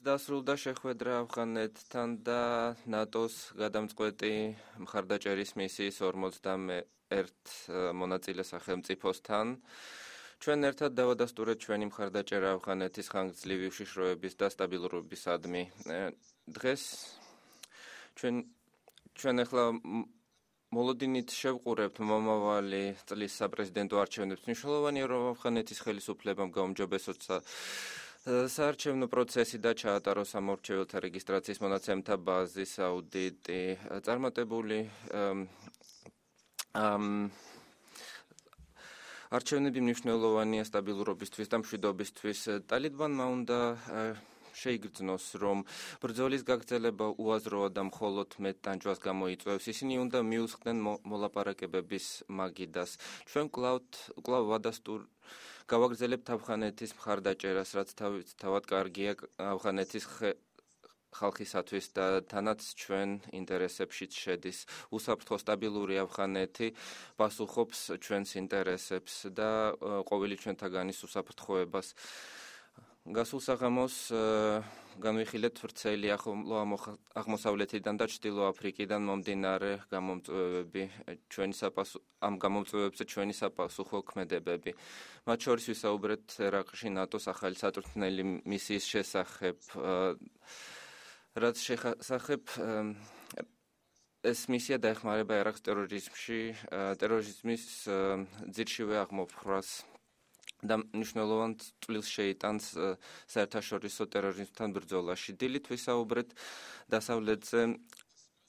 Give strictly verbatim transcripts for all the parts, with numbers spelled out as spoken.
დასრულდა შეხვედრა ავღანეთთან და ნატოს გადამწყვეტი მხარდაჭერის მისიის ორმოცდაერთ მონაწილე სახელმწიფოსთან. ჩვენ ერთად დავადასტურეთ ჩვენი მხარდაჭერა ავღანეთის ხანგრძლივი უშიშროების და სტაბილურობისადმი. დღეს ჩვენ ჩვენ ახლა მოლოდინით შევყურებთ მომავალი წლის საპრეზიდენტო არჩევნებს. მნიშვნელოვანია, რომ ავღანეთის ხელისუფლებამ გაუმჯობესოთ საარჩევნო პროცესი და ჩაატაროს სამორჩეველთა რეგისტრაციის მონაცემთა ბაზის აუდიტი. წარმატებული არჩევნები მნიშვნელოვანია სტაბილურობისთვის და მშვიდობისთვის. ტალიბანმა უნდა შეიგრძნოს, რომ ბრძოლის გაგრძელება უაზროა და მხოლოდ მეტ ტანჯვას გამოიწვევს. ისინი უნდა მიუსხდნენ მოლაპარაკებების მაგიდას. ჩვენ კვლავ ვადასტურ გავაგრძელებთ ავღანეთის მხარდაჭერას, რაც თავად კარგია ავღანეთის ხალხისათვის და თანაც ჩვენ ინტერესებშიც შედის. უსაფრთხო სტაბილური ავღანეთი პასუხობს ჩვენს ინტერესებს და ყოველი ჩვენთაგანის უსაფრთხოებას. გასულ საღამოს განვიხილეთ ვრცელი აღმოსავლეთიდან და ჩრდილო აფრიკიდან მომდინარე გამომწვევები, ჩვენი საპასუხო ამ გამომწვევებზე ჩვენი საპასუხო ქმედებები. მათ შორის ვისაუბრეთ ერაყში ნატოს ახალი საწვრთნელი მისიის შესახებ, რაც შესახებ ეს მისია დაეხმარება ერაყს ტერორიზმში, ტერორიზმის ძირშივე აღმოფხვრას და მნიშვნელოვან წვლილს შეიტანს საერთაშორისო ტერორიზმთან ბრძოლაში. დილით ვისაუბრეთ დასავლეთზე,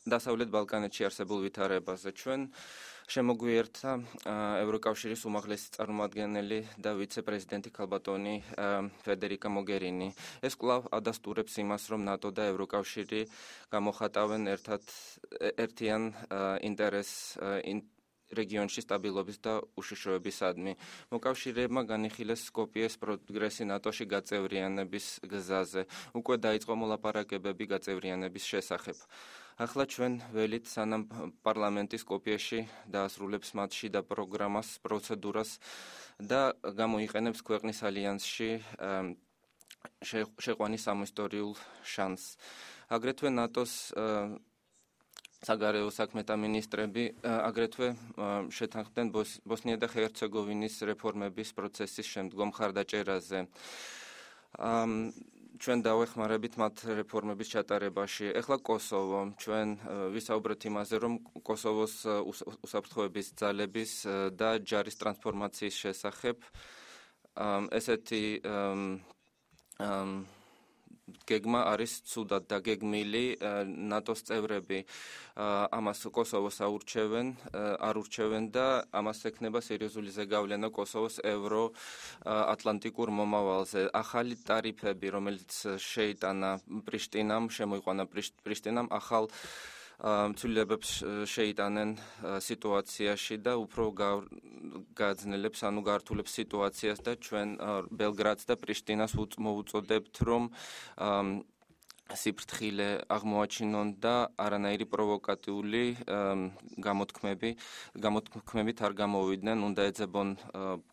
დასავლეთ ბალკანეთში არსებულ ვითარებაზე. ჩვენ შემოგვიერთდა ევროკავშირის უმაღლესი წარმომადგენელი და ვიცე-პრეზიდენტი ქალბატონი ფედერიკა მოგერინი. ეს კვლავ ადასტურებს იმას, რომ ნატო და ევროკავშირი გამოხატავენ ერთად ერთიან ინტერესს რეგიონში სტაბილობის და უშიშროებისადმი. მოკავშირეებმა განიხილეს სკოპიეს პროგრესი ნატოში გაწევრიანების გზაზე. უკვე დაიწყო მოლაპარაკებები გაწევრიანების შესახებ. ახლა ჩვენ ველით, სანამ პარლამენტი სკოპიეში დაასრულებს მათში და პროგრამას, პროცედურას და გამოიყენებს ქვეყნის ალიანსში შეყვანის სამისტორიულ შანსს. აგრეთვე ნატოს საგარეო საქმეთა მინისტრები აგრეთვე შეთანხმდნენ ბოსნია და ჰერცეგოვინის რეფორმების პროცესის შემდგომ მხარდაჭერაზე. ჩვენ დავეხმარებით მათ რეფორმების ჩატარებაში. ეხლა კოსოვო. ჩვენ ვისაუბრეთ იმაზე, რომ კოსოვოს უსაფრთხოების ძალების და ჯარის ტრანსფორმაციის შესახებ ესეთი გეგმა არის ცუდად დაგეგმილი. ნატოს წევრები ამას კოსოვოს აურჩევენ, არ ურჩევენ და ამას ექნება სერიოზული ზეგავლენა კოსოვოს ევროატლანტიკურ მომავალზე. ახალი ტარიფები, რომელიც შეიტანა პრიშტინამ, შემოიყვანა პრიშტინამ, ახალ ცვლილებებს შეიტანენ სიტუაციაში და უფრო გააძნელებს, ანუ გაართულებს სიტუაციას და ჩვენ ბელგრადს და პრიშტინას მოუწოდებთ, რომ სიფრთხილე აღმოაჩინონ და არანაირი პროვოკატიული გამოთქმები, გამოთქმებით არ გამოვიდნენ, უნდა ეძებონ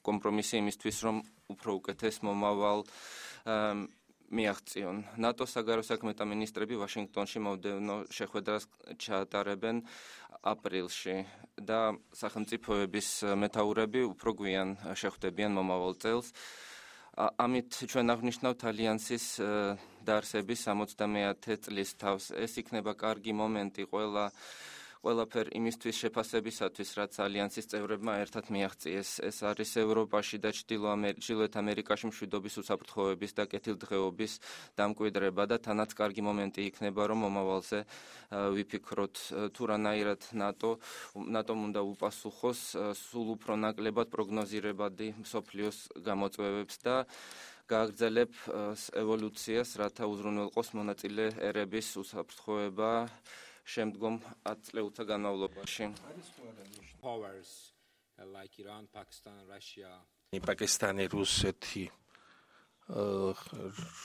კომპრომისი იმისთვის, რომ უფრო უკეთეს მომავალ მიაღწიონ. ნატოს საგარეო საქმეთა მინისტრები ვაშინგტონში მომდევნო შეხვედრას ჩაატარებენ აპრილში და სახელმწიფოების მეთაურები უფრო გვიან შეხვდებიან მომავალ წელს. ამით ჩვენ აღნიშნავთ ალიანსის დაარსების სამოცდამეათე წლის თავს. ეს იქნება კარგი მომენტი ყველა ყველაფერ იმისთვის შეფასებისათვის, რაც ალიანსის წევრებმა ერთად მიაღწიეს. ეს არის ევროპაში და ჩრდილოეთ ამერიკაში მშვიდობის, უსაფრთხოების და კეთილდღეობის დამკვიდრება და თანაც კარგი მომენტი იქნება, რომ მომავალზე ვიფიქროთ, თუ რანაირად ნატო ნატომ უნდა უპასუხოს სულ უფრო ნაკლებად პროგნოზირებადი მსოფლიოს გამოწვევებს და გააგრძელებ ევოლუციას, რათა უზრუნველყოს მონაწილე ერების უსაფრთხოება შემდგომ ათ წლეულთა განმავლობაში. პაკისტანი, რუსეთი,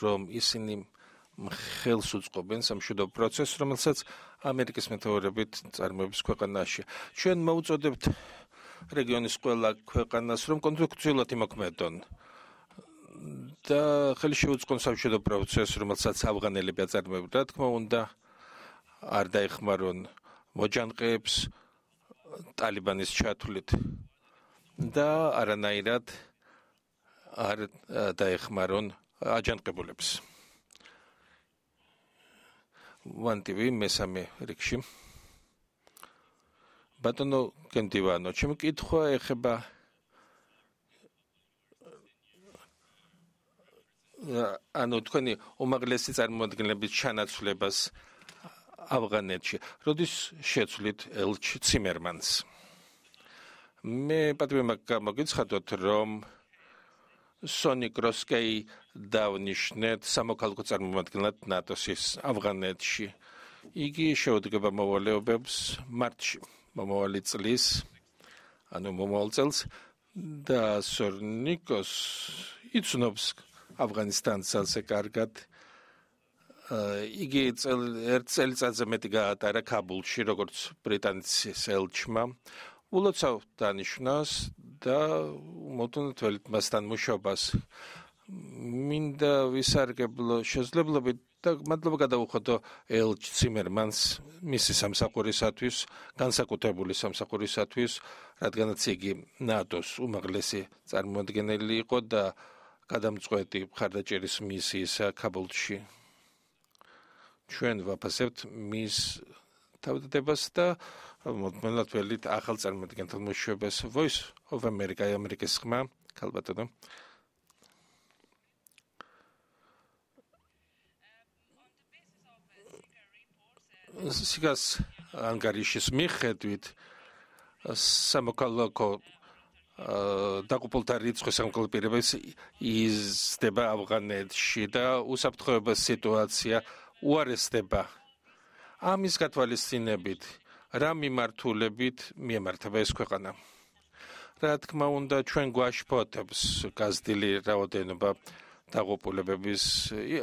რომ ისინი ხელს უწყობენ სამშვიდობო პროცესს, რომელსაც ამერიკის მეთაურობით წარმოების ქვეყანაში. ჩვენ მოუწოდებთ რეგიონის ყველა ქვეყანას, რომ კონსტრუქციულად იმოქმედონ. და ხელი შეუწყონ სამშვიდობო პროცესს, რომელსაც ავღანელები აწარმოებენ, რა თქმა უნდა, არ დაეხმარონ მოჯანყეებს ტალიბანის ჩათვლით და არანაირად არ დაეხმარონ აჯანყებულებს. ვანტივი მესამე რიგში. ბატონო გენდივანო, ჩემი კითხვა ეხება ანუ თქვენი უმაღლესი წარმომადგენლების ჩანაცვლებას ავღანეთში. როდის შეცვლით ელჩ ციმერმანს? მე პატივი გამოგიცხადოთ, რომ სონი კროსკეი დავნიშნეთ სამოქალაქო წარმომადგენლად ნატოს ავღანეთში. იგი შეუდგება მოვალეობებს მარტში, მომავალი წლის, ანუ მომავალ წელს და სორნიკოს იცნობს ავღანისტანს ძალზე კარგად. იგი ერთ წელიწადზე მეტი გაატარა ქაბულში, როგორც ბრიტანეთის ელჩმა. ულოცავ დანიშვნას და მოდუნთველით მასთან მუშაობას. მინდა ვისარგებლო შესაძლებლობით და მადლობა გადავუხადო ელჩ ციმერმანს მისი სამსახურისათვის, განსაკუთრებული სამსახურისათვის, რადგანაც იგი ნატოს უმაღლესი წარმომადგენელი იყო და გადამწყვეტი მხარდაჭერის მისიისა ქაბულში. ჩვენ ვაფასებთ მის თავდადებას და მოწმენად ველით ახალ წარმომადგენელთან მუშაობას. Voice of America, ამერიკის ხმა, ქალბატონო. სიგას ანგარიშის მიხედვით სამოქალაქო დაკუპულთა რიცხვი სამოქალაქო პირებებს იზრდება ავღანეთში და უსაფრთხოების სიტუაცია უარესდება. ამის გათვალისწინებით რა მიმართულებით მიემართება ეს ქვეყანა? რა თქმა უნდა, ჩვენ გვაშფოთებს გაზრდილი რაოდენობა დაღუპულებების,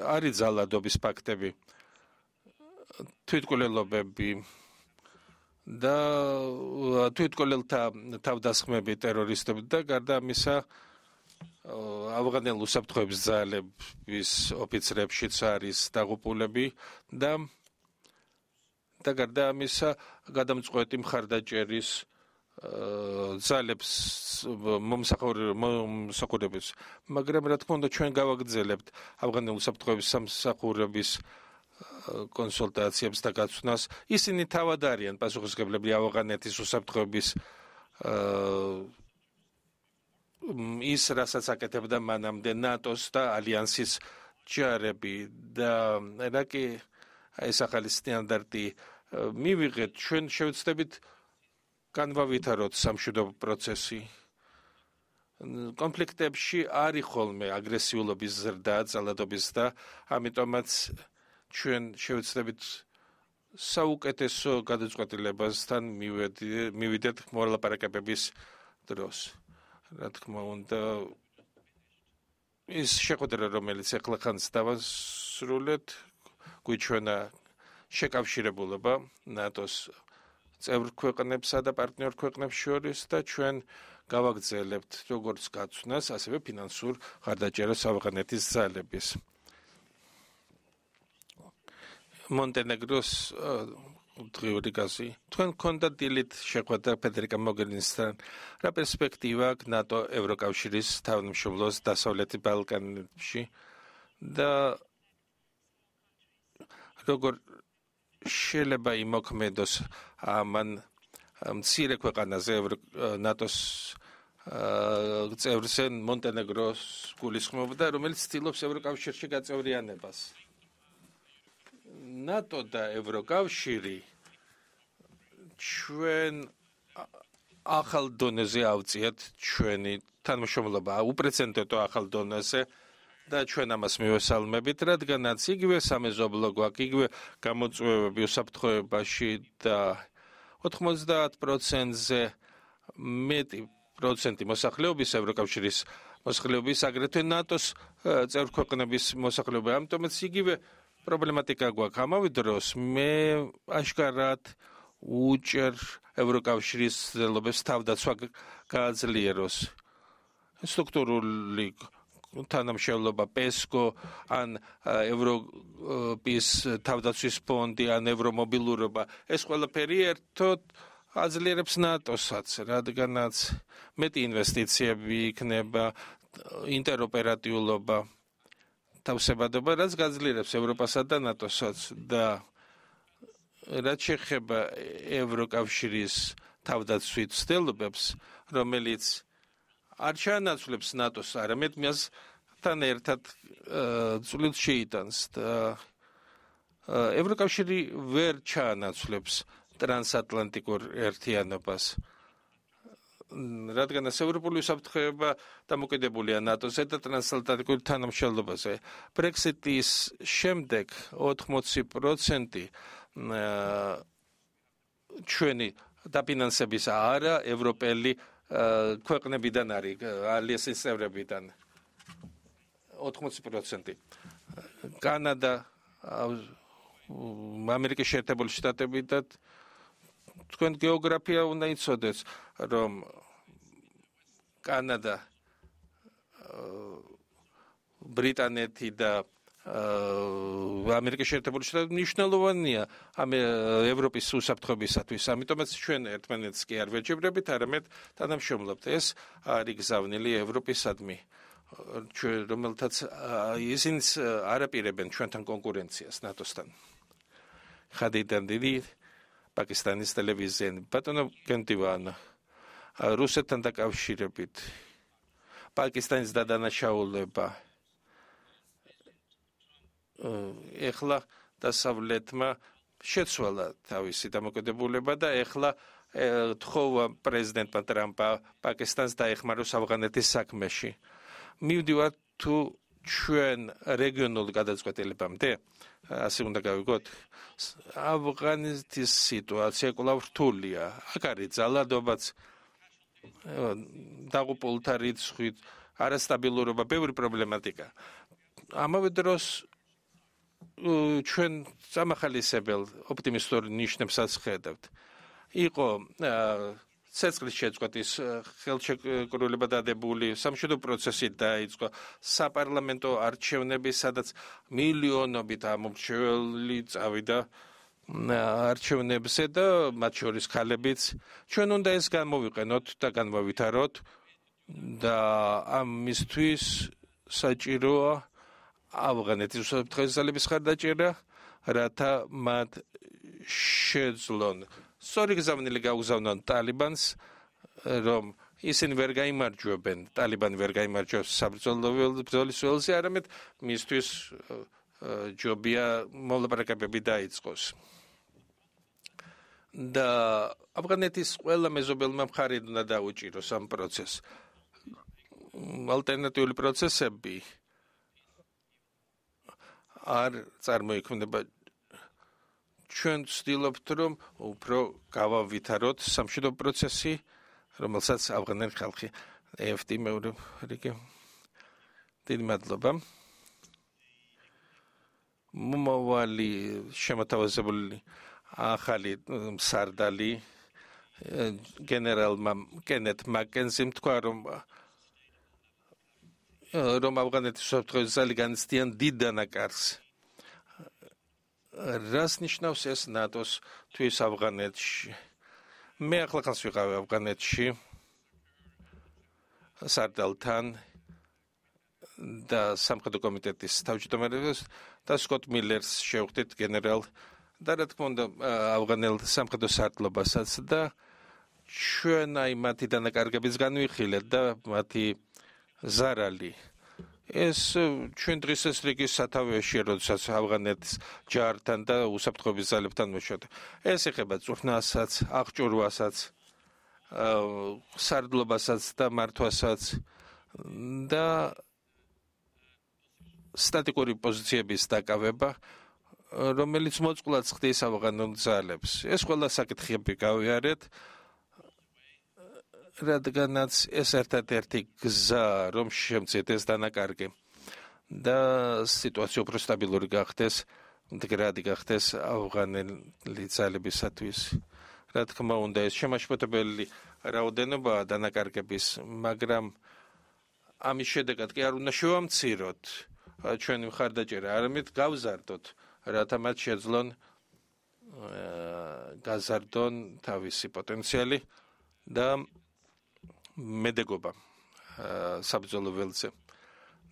არის ძალადობის ფაქტები, თვითმკვლელობები და თვითმკვლელთა თავდასხმები ტერორისტები და გარდა ამისა ავღანელ უსაფრთხოების ძალების ოფიცრებშიც არის დაღუპულები და და გარდა ამისა გადამწყვეტი მხარდაჭერის ძალებს მომსახურების, მაგრამ რა თქმა უნდა ჩვენ გავაგრძელებთ ავღანელ უსაფრთხოების სამსახურების კონსულტაციებს და გაცვნას. ისინი თავად არიან პასუხისმგებლები ავღანეთის უსაფრთხოების ის რასაც აკეთებდა მანამდე ნატოს და ალიანსის ჯარები და რა კი ეს ახალი სტანდარტი მივიღეთ, ჩვენ შევეცდებით განვავითაროთ სამშვიდობო პროცესი. კონფლიქტებში არის ხოლმე აგრესიულობის ზრდა, ძალადობის და ამიტომაც ჩვენ შევეცდებით საუკეთესო გადაწყვეტილებასთან მივიდეთ მოლაპარაკებების დროს. რა თქმა უნდა, ის შეხვედრა, რომელიც ახლა ხანს დავასრულეთ, გვიჩვენა შეკავშირებულობა ნატოს წევრ ქვეყნებსა და პარტნიორ ქვეყნებს შორის და ჩვენ გავაგრძელებთ როგორც გაცვნას, ასევე ფინანსურ მხარდაჭერას ავღანეთის ძალების. მონტენეგროს დღიური გაზი. თქვენ გქონდათ დილით შეხვედრა ფედერიკა მოგერინისთან. რა პერსპექტივა აქვს ნატო ევროკავშირის თავმჯდომარეს დასავლეთი ბალკანებში და როგორ შეიძლება იმოქმედოს ამან მცირე ქვეყანაზე ნატოს წევრზე მონტენეგროს გულისხმობდა, რომელიც ცდილობს ევროკავშირში გაწევრიანებას. ნატო და ევროკავშირი ჩვენ ახალ დონეზე ავწიეთ ჩვენი თანამშრომლობა, უპრეცედენტო ახალ დონეზე და ჩვენ ამას მივესალმებით, რადგანაც იგივე სამეზობლო გვაქვს, იგივე გამოწვევები უსაფრთხოებაში და ოთხმოცდაათ პროცენტზე მეტი პროცენტი მოსახლეობის ევროკავშირის მოსახლეობის აგრეთვე ნატოს წევრ ქვეყნების მოსახლეობა, ამიტომაც იგივე პრობლემატიკა გვაქვს. ამავე დროს მე აშკარად უჭერ ევროკავშირის ცდილობებს თავდაცვა გააძლიეროს. სტრუქტურული თანამშრომლობა პესკო ან ევროპის თავდაცვის ფონდი ან ევრომობილურობა ეს ყველაფერი ერთოდ აძლიერებს ნატოსაც, რადგანაც მეტი ინვესტიციები იქნება, ინტეროპერატიულობა, თავსებადობა, რაც გაძლიერებს ევროპასა და ნატოსაც და რაც შეეხება ევროკავშირის თავდაცვით ცდილობებს, რომელიც არ ჩაანაცვლებს ნატოს, არამედ მასთან ერთად წვლილს შეიტანს და ევროკავშირი ვერ ჩაანაცვლებს ტრანსატლანტიკურ ერთიანობას. რადგანაც ევროპული უსაფრთხოება დამოკიდებულია ნატოზე და ტრანსატლანტიკურ თანამშრომლობაზე. ბრექსიტის შემდეგ ოთხმოცი პროცენტი ჩვენი დაფინანსების არა ევროპელი ქვეყნებიდან არის, ალიანსის წევრებიდან ოთხმოცი პროცენტი. კანადა, ამერიკის შეერთებული შტატები და თქვენ გეოგრაფია უნდა იცოდეთ, რომ კანადა, ბრიტანეთი და ამერიკის შეერთებული შტატები მნიშვნელოვანია ევროპის უსაფრთხოებისათვის, ამიტომაც ჩვენ ერთმანეთს კი არ ვეჯიბრებით, არამედ თანამშრომლობთ. ეს არის გზავნილი ევროპისადმი, რომელთაც ისინიც არაპირებენ ჩვენთან კონკურენციას ნატოსთან. ხადიდან დიდი პაკისტანის ტელევიზიები, ბატონო გენტივანა, რუსეთთან დაკავშირებით, პაკისტანის დადანაშაულება, ეხლა დასავლეთმა შეცვალა თავისი დამოკიდებულება და ეხლა თხოვა პრეზიდენტმა ტრამპა პაკისტანს დაეხმაროს ავღანეთის საქმეში. მივდივართ თუ ჩვენ რეგიონულ გადაწყვეტილებამდე, ასე უნდა გავიგოთ, ავღანეთის სიტუაცია კვლავ რთულია. აქ არის ძალადობაც, დაღუპულთა რიცხვით, არასტაბილურობა, ბევრი პრობლემატიკა. ამავე დროს ჩვენ სამახალისებელ ოპტიმისტურ ნიშნებსაც ხედავთ. იყო ცეცხლის შეწყვეტის ხელშეკრულება დადებული, სამშვიდობო პროცესი დაიწყო, საპარლამენტო არჩევნები, სადაც მილიონობით ამომრჩეველი წავიდა არჩევნებზე და მათ შორის ქალებიც. ჩვენ უნდა ეს გამოვიყენოთ და განმოვითაროთ და ამისთვის საჭიროა ავღანეთის უსაფრთხოების ძალების ხარდაჭერა, რათა მათ შეძლონ სწორი გზავნილი გაუგზავნონ ტალიბანს, რომ ისინი ვერ გაიმარჯვებენ, ტალიბანი ვერ გაიმარჯვებს საბრძოლო ბრძოლის ველზე, არამედ მისთვის ჯობია მოლაპარაკებები დაიწყოს. და ავღანეთის ყველა მეზობელმა მხარე უნდა დაუჭიროს ამ პროცესს. ალტერნატიული პროცესები არ წარმოიქმნება. ჩვენ ვცდილობთ, რომ უფრო გავავითაროთ სამშვიდობო პროცესი, რომელსაც ავღანელი ხალხი ეფ ტი მეორე რიგი. დიდი მადლობა. მომავალი შემოთავაზებული ახალი მსარდალი გენერალმა კენეთ მაკენზიმ თქვა, რომ რომ ავღანეთის უსაფრთხოების ზალი განიცდიან დიდ დანაკარგს. რას ნიშნავს ეს ნატოს თვის ავღანეთში? მე ახლა ხანს ვიყავი ავღანეთში სარდალთან და სამხედრო კომიტეტის თავმჯდომარეს და სკოტ მილერს შევხვდით გენერალ და რა თქმა უნდა ავღანელ სამხედრო სარდლობასაც და ჩვენ აი მათი დანაკარგების განვიხილეთ და მათი ზარალი. ეს ჩვენ დღეს ეს რიგი სათავეში, როდესაც ავღანეთის ჯართან და უსაფრთხოების ძალებთან მოშორდა. ეს ეხება წვრთნასაც, აღჭურვასაც, სარდლობასაც და მართვასაც და სტატიკური პოზიციების დაკავება, რომელიც მოწყვლად ხდის ავღანელ ძალებს. ეს ყველა საკითხები გავიარეთ, რადგანაც ეს ერთადერთი გზა, რომ შემცეთ ეს დანაკარგი და სიტუაცია უფრო სტაბილური გახდეს, მდგრადი გახდეს ავღანელი ძალებისათვის. რა თქმა უნდა, ეს შემაშფოთებელი რაოდენობა დანაკარგების, მაგრამ ამის შედეგად კი არ უნდა შევამციროთ ჩვენი მხარდაჭერა, არამედ გავზარდოთ, რათა მათ შეძლონ გაზარდონ თავისი პოტენციალი და მედეგობა საბრძოლო ველზე.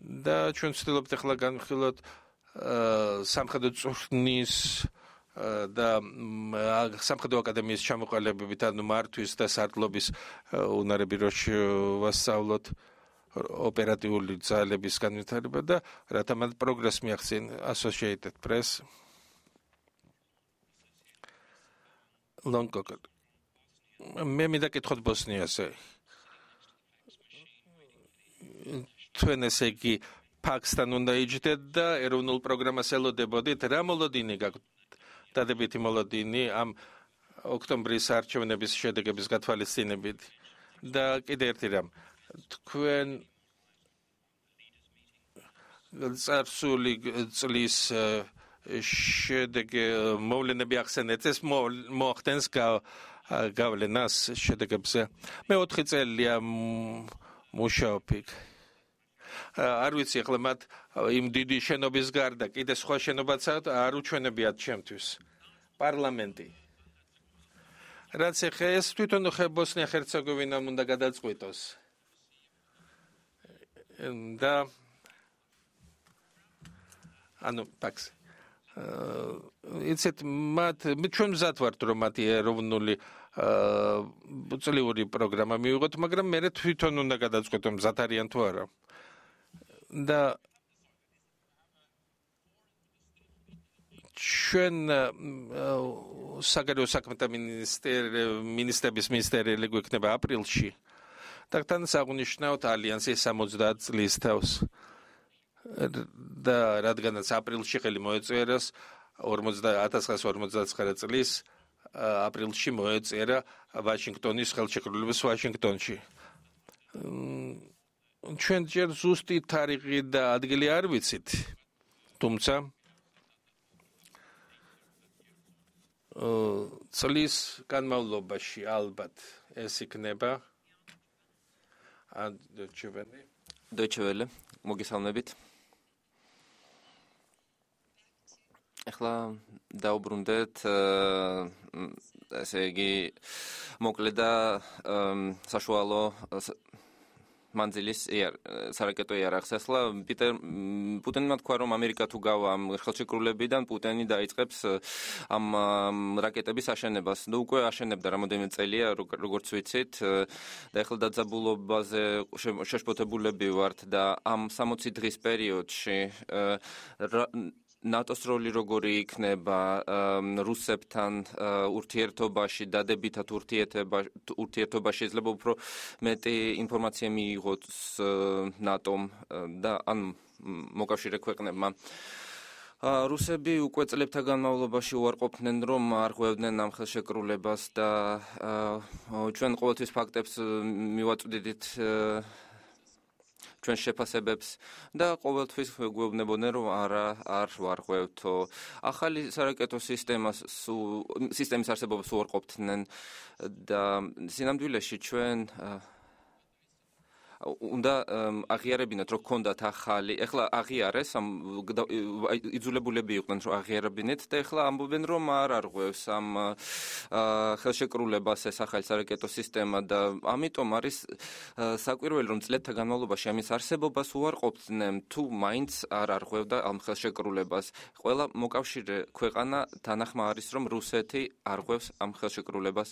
და ჩვენ ვცდილობთ ახლა განვიხილოთ სამხედრო წვრთნის და სამხედრო აკადემიის ჩამოყალიბებით, ანუ მართვის და სარდლობის უნარები რო შევასწავლოთ, ოპერატიული ძალების განვითარება და რათა მათ პროგრესს მიაღწიონ Associated Press. Longcock. მე მინდა კითხოთ ბოსნიაზე. თქვენ ესე იგი ფაქსთან უნდა იჯდეთ და ეროვნულ პროგრამას ელოდებოდით, რა მოლოდინი გაქვთ? დადებითი მოლოდინი ამ ოქტომბრის არჩევნების შედეგების გათვალისწინებით. და კიდე ერთი რამ, თქვენ წარსული წლის შედეგი მოვლენები ახსენეთ, ეს მოახდენს გავლენას შედეგებზე. მე ოთხი წელია მუშაობ იქ. არ ვიცი ახლა მათ იმ დიდი შენობის გარდა კიდე სხვა შენობაც არ უჩვენებიათ ჩემთვის პარლამენტი. რაც ეხა ეს თვითონ ბოსნია-ჰერცეგოვინამ უნდა გადაწყვიტოს. და ანუ ფაქს იცით მათ ჩვენ მზად ვართ რომ მათი ეროვნული წლიური პროგრამა მივიღოთ, მაგრამ მე თვითონ უნდა გადაწყვეტო მზად არიან თუ არა. და ჩვენ საგარეო საქმეთა მინისტრების მინისტერიალი გვექნება აპრილში და თან საღუნიშნავთ ალიანსის სამოცდაათ წლის თავს. და რადგანაც აპრილში ხელი მოეწერას ათას ცხრაასი ორმოცდაცხრა წლის აპრილში მოეწერა ვაშინგტონის ხელშეკრულებას ვაშინგტონში. ჩვენ ჯერ ზუსტი თარიღი და ადგილი არ ვიცით, თუმცა წლის განმავლობაში ალბათ ეს იქნება. Deutsche Welle, მოგესალმებით. ახლა დაუბრუნდეთ ესე იგი მოკლედ და საშუალო მანძილის სარაკეტო იარაღს. ახლა პუტინმა თქვა რომ ამერიკა თუ გავა ამ ხელშეკრულებიდან, პუტინი დაიწყებს ამ რაკეტების აშენებას. ნუ უკვე აშენებდა რამოდენიმე წელია, როგორც ვიცით, და ახლა დაძაბულობაზე შეშფოთებულები ვართ და ამ სამოცი დღის პერიოდში ნატოს როლი როგორი იქნება რუსებთან ურთიერთობაში, დადებითად ურთიერთობაში შეიძლება უფრო მეტი ინფორმაცია მიიღოს ნატომ და ან მოკავშირე ქვეყნებმა. რუსები უკვე წლებთა განმავლობაში უარყოფდნენ რომ არ ღვევდნენ ამ ხელშეკრულებას და ჩვენ ყოველთვის ფაქტებს მივაწვდით ჩვენ შეფასებებს და ყოველთვის გვეუბნებოდნენ რომ არა არ ვარღვევთო. ახალი სარაკეტო სისტემას სისტემის არსებობას უარყოფდნენ და სინამდვილეში ჩვენ უნდა აღიარებინათ რომ გქონდათ ახალი, ეხლა აღიარეს, იძულებულები იყვნენ რომ აღიარებინეთ და ეხლა ამბობენ რომ არ არღვევს ამ ხელშეკრულებას ეს ახალი სარაკეტო სისტემა და ამიტომ არის საკვირველი რომ წლებთა განმავლობაში ამის არსებობას უარყოფდნენ თუ მაინც არ არღვევდა ამ ხელშეკრულებას. ყველა მოკავშირე ქვეყანა თანახმა არის რომ რუსეთი არღვევს ამ ხელშეკრულებას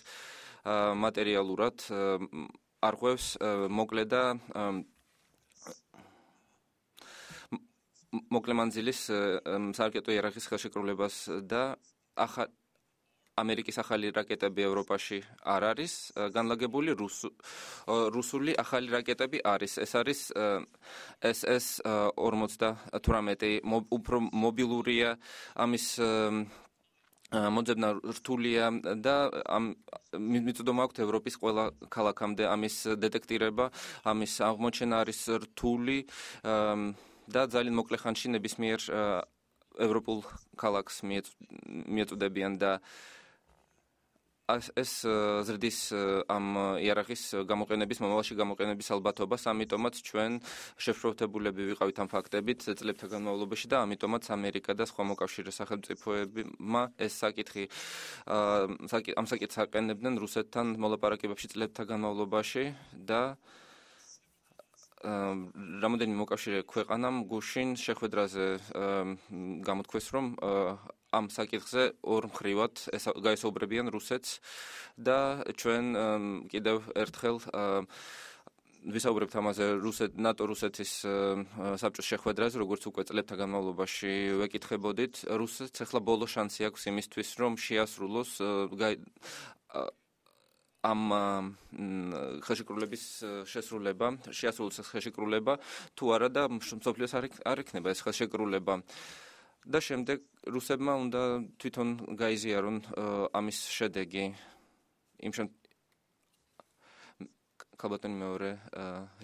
მატერიალურად არღვევს მოკლე და მოკლე მანძილის სარაკეტო იარაღის ხელშეკრულებას და ამერიკის ახალი რაკეტები ევროპაში არ არის განლაგებული, რუსული ახალი რაკეტები არის. ეს არის ეს ეს ორმოცდათვრამეტი უფრო მობილურია, ამის მოძებნა რთულია და მიწოდომა აქვთ ევროპის ყველა ქალაქამდე ამის დეტექტირება, ამის აღმოჩენა არის რთული და ძალიან მოკლე ხანში ნებისმიერ ევროპულ ქალაქს მიეწოდებიან და ეს ზრდის ამ იარაღის გამოყენების მომავალში გამოყენების ალბათობას, ამიტომაც ჩვენ შეშფოთებულები ვიყავით ამ ფაქტებით წლებთა განმავლობაში და ამიტომაც ამერიკა და სხვა მოკავშირე სახელმწიფოებმა ეს საკითხი ამ საკითხს აყენებდნენ რუსეთთან მოლაპარაკებებში წლებთა განმავლობაში და რამოდენიმე მოკავშირე ქვეყანამ გუშინ შეხვედრაზე გამოთქვეს, რომ ამ საკითხზე ორ მხრივად გაესაუბრებიან რუსეთს და ჩვენ კიდევ ერთხელ ვისაუბრებთ ამაზე ნატო რუსეთის საბჭოს შეხვედრაზე, როგორც უკვე წლებთა განმავლობაში ვეკითხებოდით, რუსეთს ახლა ბოლო შანსი აქვს იმისთვის, რომ შეასრულოს ამ ხელშეკრულების შესრულება, შეასრულოს ეს ხელშეკრულება, თუ არა და მსოფლიოს არ იქნება ეს ხელშეკრულება. და შემდეგ რუსებმა უნდა თვითონ გაიზიარონ ამის შედეგი. იმ ქალბატონი მეორე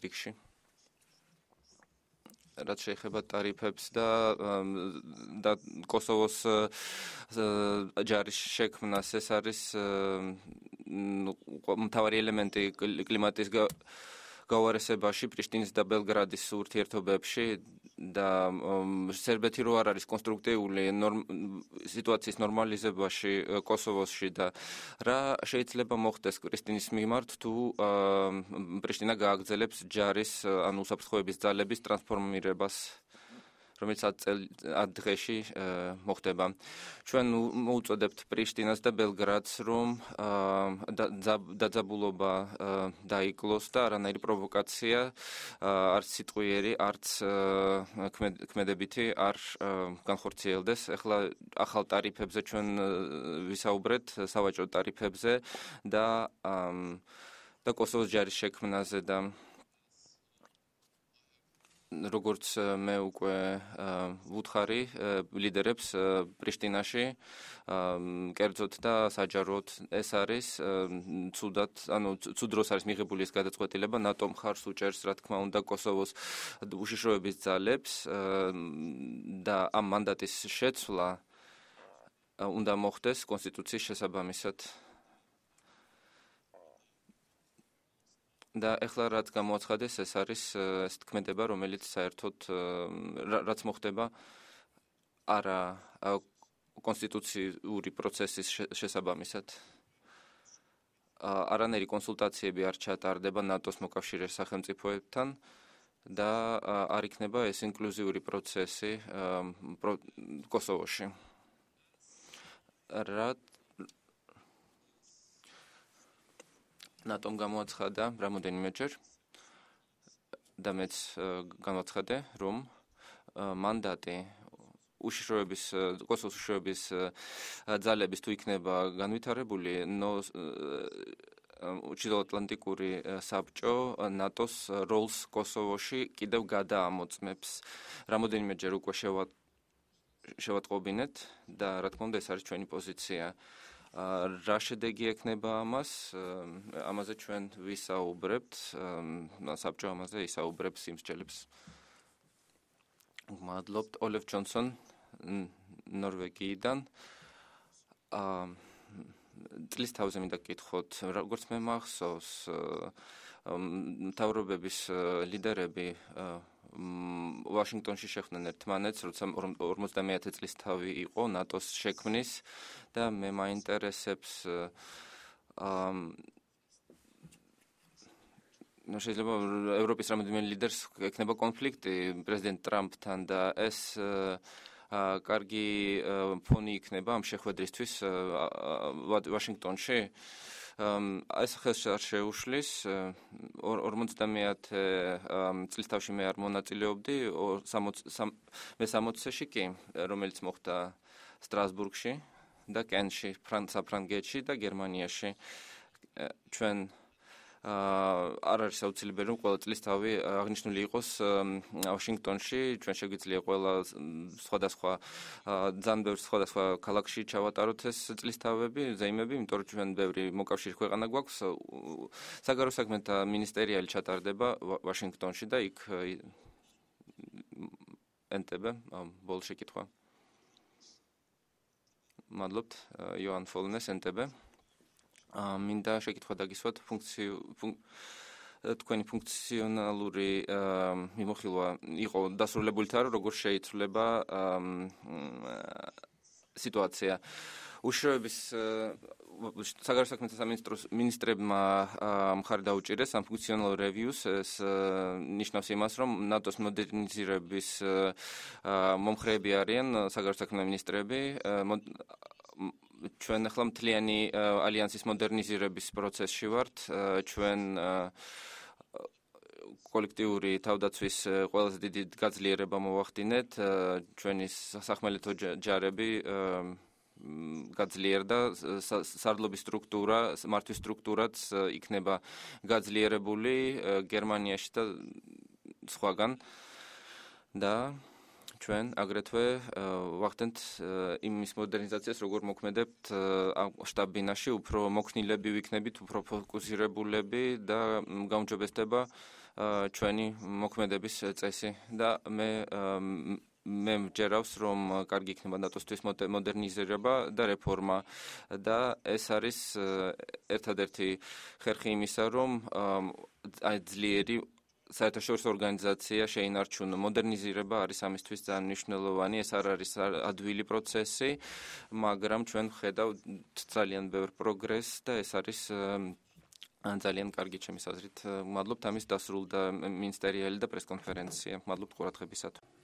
რიგში. რაც შეეხება ტარიფებს და და კოსოვოს ჯარის შექმნას, ეს არის მთავარი ელემენტი კლიმატის გავარესებაში, პრიშტინის და ბელგრადის ურთიერთობებში და სერბეთი რო არ არის კონსტრუქტიული სიტუაციის ნორმალიზებაში კოსოვოსში და რა შეიძლება მოხდეს პრიშტინის მიმართ თუ პრიშტინა გააგრძელებს ჯარის ან უსაფრთხოების ძალების ტრანსფორმირებას, რომელიც ათ დღეში მოხდება. ჩვენ მოუწოდებთ პრიშტინას და ბელგრადს, რომ დაძაბულობა დაიკლოს და არანაირი პროვოკაცია, არც სიტყვიერი, არც ქმედებითი არ განხორციელდეს. ახლა ახალ ტარიფებზე ჩვენ ვისაუბრეთ, სავაჭრო ტარიფებზე და და კოსოვოს ჯარის შექმნაზე და როგორც მე უკვე ვუთხარი ლიდერებს პრიშტინაში, კერძოდ და საჯაროდ ეს არის ცუდად, ანუ ცუდ დროს არის მიღებული ეს გადაწყვეტილება, ნატო მხარს უჭერს, რა თქმა უნდა, კოსოვოს უშიშროების ძალებს და ამ მანდატის შეცვლა უნდა მოხდეს კონსტიტუციის შესაბამისად. და ახლა რაც გამოაცხადეს, ეს არის ეს თქმედება, რომელიც საერთოდ რაც მოხდება არა კონსტიტუციური პროცესის შესაბამისად. არანაირი კონსულტაციები არ ჩატარდება ნატოს მოკავშირე სახელმწიფოებთან და არ იქნება ეს ინკლუზიური პროცესი კოსოვოში. რა ნატომ გამოაცხადა რამოდენიმეჯერ და მეც გამოაცხადე, რომ მანდატი უშიშროების კოსოვოს უშიშროების ძალების თუ იქნება განვითარებული, ჩრდილოატლანტიკური საბჭო ნატოს როლს კოსოვოში კიდევ გადაამოწმებს. რამოდენიმეჯერ უკვე შევატყობინეთ და რა თქმა უნდა ეს არის ჩვენი პოზიცია. რა შედეგი ექნება ამას, ამაზე ჩვენ ვისაუბრებთ, საბჭო ამაზე ისაუბრებს იმსჯელებს. მადლობთ, ოლეფ ჯონსონ ნორვეგიიდან. წლის თავზე მინდა გკითხოთ, როგორც მე მახსოვს, მთავრობების ლიდერები ვაშინგტონში შეხვდნენ ერთმანეთს, როცა ორმოცდამეათე წლის თავი იყო ნატოს შექმნის და მე მაინტერესებს ნუ შეიძლება ევროპის რამდენიმე ლიდერს ექნება კონფლიქტი პრეზიდენტ ტრამპთან და ეს კარგი ფონი იქნება ამ შეხვედრისთვის ვაშინგტონში. ეს ხელს არ შეუშლის ორმოცდამეათე წლის თავში მე არ მონაწილეობდი, მე სამოცში კი, რომელიც მოხდა სტრასბურგში და კენში, საფრანგეთში და გერმანიაში. ჩვენ არ არის აუცილებელი რომ ყველა წლისთავი აღნიშნული იყოს ვაშინგტონში, ჩვენ შეგვიძლია ყველა სხვადასხვა ძალიან ბევრ სხვადასხვა ქალაქში ჩავატაროთ ეს წლისთავები, ზეიმები, იმიტომ რომ ჩვენ ბევრი მოკავშირე ქვეყანა გვაქვს. საგარეო საქმეთა მინისტერიალი ჩატარდება ვაშინგტონში და იქ ენტებე ბოლო შეკითხვა. მადლობთ, იოან ფოლნეს ენტებე. მინდა შეკითხვა დაგისვათ ფუნქციო თქვენი ფუნქციონალური მიმოხილვა იყო დასრულებული თან როგორ შეიცვლება სიტუაცია უშუალების საგარეო საქმეთა სამინისტროს მინისტრებმა მხარი დაუჭირეს ამ ფუნქციონალურ რევიუს ეს ნიშნავს იმას რომ ნატოს მოდერნიზირების მომხრეები არიან საგარეო საქმეთა მინისტრები ჩვენ ახლა მთლიანი ალიანსის მოდერნიზირების პროცესში ვართ ჩვენ კოლექტიური თავდაცვის ყველაზე დიდი გაძლიერება მოვახდინეთ ჩვენი სახმელეთო ჯარები გაძლიერდა სარდლობის სტრუქტურა მართვის სტრუქტურაც იქნება გაძლიერებული გერმანიაში და სხვაგან და ჩვენ აგრეთვე ვახდენთ იმის მოდერნიზაციას როგორ მოქმედებთ შტაბ-ბინაში უფრო მოქნილები ვიქნებით უფრო ფოკუსირებულები და გაუმჯობესდება ჩვენი მოქმედების წესი და მე მე მჯერავს რომ კარგი იქნება ნატოსთვის მოდერნიზირება და რეფორმა და ეს არის ერთადერთი ხერხი იმისა რომ აი ძლიერი საერთაშორისო ორგანიზაცია შეინარჩუნო მოდერნიზირება არის ამისთვის ძალიან მნიშვნელოვანი ეს არ არის ადვილი პროცესი მაგრამ ჩვენ ვხედავთ ძალიან ბევრ პროგრესს და ეს არის ძალიან კარგი ჩემი აზრით მადლობთ ამის დასრულდა მინისტერიალი და პრესკონფერენცია მადლობთ ყურადღებისათვის